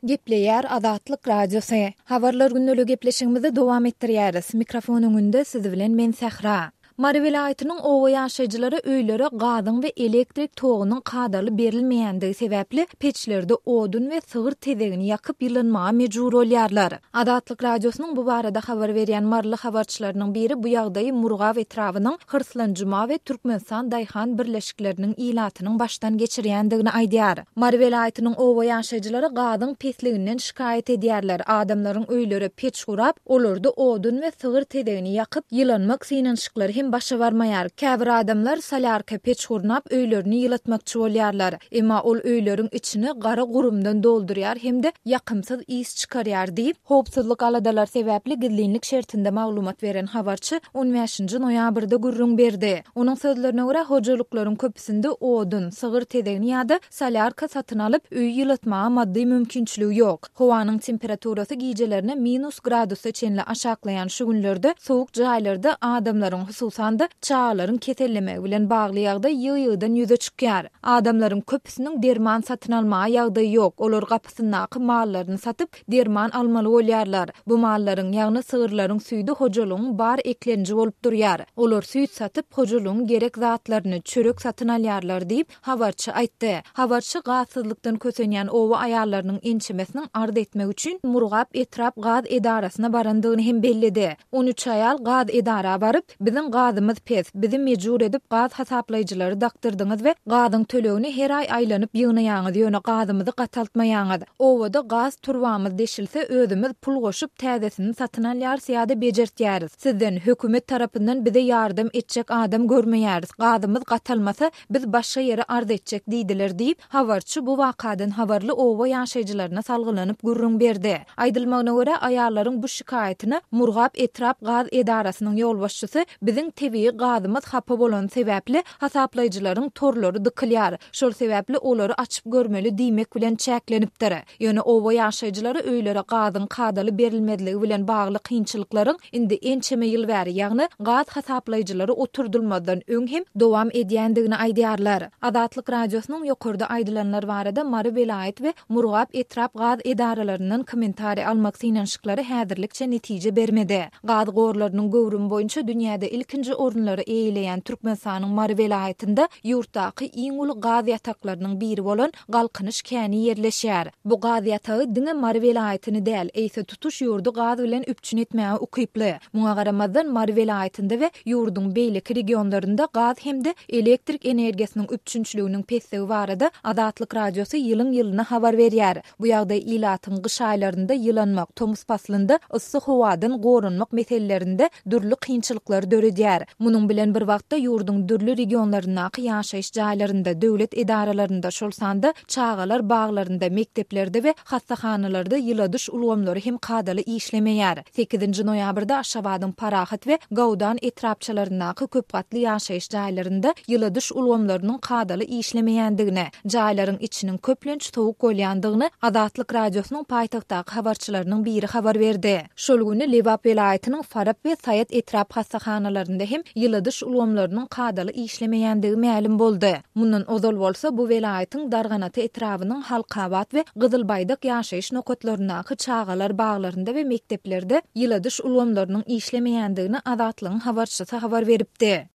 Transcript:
Gepleýär Azatlyk Radiosy. Habarlar gündeli gepleşigimizi dowam etdirýäris. Mikrofon öňünde siz bilen men Sähra. Mary welaýatynyň oba ýaşaýjylary öýlere gazyň we elektrik togunyň kadaly berilmeýändigi sebäpli peçlerde odun we sygyr tezegini ýakyp ýylanmaga mejbur bolýarlar. Azatlyk Radiosynyň bu barada habar berýän maryly habarçylarynyň biri bu ýagdaýy Murgap etrabynyň Hyrslanjuma we Türkmenistan daýhan birleşikleriniň ilatynyň başdan geçirýändigini aýdýar. Mary welaýatynyň oba ýaşaýjylary gazyň pesliginden şikaýat edýärler, adamlaryň öýlere peç gurap, olarda odun we sygyr tezegini ýakyp, ýylanmak synanyşyklary hem başa barmaýar. Käbir adamlar solýarka peç gurnap, öýlerini ýylatmakçy bolýarlar. Emma ol öýleriň içini gara gurumdan doldurýar hem-de ýakymsyz ys çykarýar diýip, howpsuzlyk aladalary sebäpli gizlinlik şertinde maglumat beren habarçy on bäşinji noýabrda gürrüň berdi. Onuň sözlerine görä, hojalyklaryň köpüsinde odun, sygyr tezegini ýa-da solýarka satyn alyp, öýi ýylatmaga maddy mümkinçiligi ýok. Howanyň temperaturasy gijelerine minus gradusa çenli aşaklaýan şu günlerde sowuk jaýlarda adamlaryň, hususan-da, çagalaryň kesellemegi bilen bagly ýagdaý ýygy-ýygydan ýüze çykýar. Adamlaryň köpüsiniň derman satyn almaga ýagdaýy ýok, olar gapysyndaky mallaryny satyp, derman almaly bolýarlar. Bu mallaryň, ýagny sygyrlaryň süýdi hojalygyň bar eklenji bolup durýar. Olar süýt satyp, hojalygyň gerek zatlaryny, çörek satyn alýarlar diýip, habarçy aýtdy. Habarçy gazsyzlykdan kösenýän oba aýallarynyň ençemesiniň arz etmek üçin Murgap etrap gaz edarasyna barandygyny hem belledi. 13 aýal gaz edara baryp, Biziň gazymyz pes, bizi mejbur edip gaz hasaplaýjylary dakdyrdyňyz we gazyň tölegini her aý aýlanyp ýygnaýaňyz, ýöne gazymyzy gataltmaýaňyz. Obada gaz turbamyz deşilse, özümiz pul goşup täzesini satyn alýarys ýa-da bejertýäris. Sizden, hökümet tarapyndan bize ýardam etjek adam görmeýäris. Gazymyz gatalmasa, biz başga ýere arz etjek diýdiler diýip, habarçy bu wakadan habarly oba ýaşaýjylaryna salgylanyp gürrüň berdi. Aýdylmagyna görä, aýallaryň bu şikaýatyna Murgap etrap gaz edarasynyň ýolbaşçysy biziň tebigy gazymyz hapa bolany sebäpli hasaplaýjylaryň torlary dykylýar, şol sebäpli olary açyp görmeli diýmek bilen çäklenipdir. Ýöne oba ýaşaýjylary öýlere gazyň kadaly berilmezligi bilen bagly kynçylyklaryň indi ençeme ýyl bäri, ýagny gaz hasaplaýjylary oturdylmazdan öň hem dowam edýändigini aýdýarlar. Azatlyk Radiosynyň ýokarda aýdylanlar barada Mary welaýat we Murgap etrap gaz edaralaryndan kommentariý almak synanyşyklary häzirlikçe netije bermedi. Gaz gorlarynyň göwrümi boýunça dünýäde ilkinji orunlary eýeleýän Türkmenistanyň Mary welaýatynda ýurtdaky iň uly gaz ýataklarynyň biri bolan Galkynyş käni ýerleşýär. Bu gaz ýatagy diňe Mary welaýatyny däl, eýse tutuş ýurdy gaz bilen üpjün etmäge ukyply. Muňa garamazdan, Mary welaýatynda we ýurduň beýleki regionlarynda gaz hem-de elektrik energiýasynyň üpjünçiliginiň pesligi barada Azatlyk Radiosy ýylyň-ýylyna habar berýär. Bu ýagdaý ilatyň gyş aýlarynda ýylanmak, tomus paslynda yssy howadan goranmak meselelerinde dürli kynçylyklary döredýär. Munuň bilen bir wagtda, ýurduň dürli regionlaryndaky ýaşaýyş jaýlarynda, döwlet edaralarynda, şol sanda çagalar baglarynda, mekdeplerde we hassahanalarda ýyladyş ulgamlary hem kadaly işlemeýär. Sekizinji noýabrda Aşgabadyň Parahat we Gaudan etrapçalaryndaky köp gatly ýaşaýyş jaýlarynda ýyladyş ulgamlarynyň kadaly işlemeýändigini, jaýlaryň içiniň köplenç sowuk bolýandygyny Azatlyk Radiosynyň paýtagtdaky habarçylarynyň biri habar berdi. Şol güni Lebap welaýatynyň Farap we Saýat etrap hassahanalarynda hem ýyladyş ulgamlarynyň kadaly işlemeýändigi mälim boldy. Mundan ozal bolsa, bu welaýatyň Darganata etrabynyň Halkabat we Gyzylbaýdak ýaşaýyş nokatlaryndaky çagalar baglarynda we mekdeplerde ýyladyş ulgamlarynyň işlemeýändigini Azatlygyň habarçysy habar beripdi.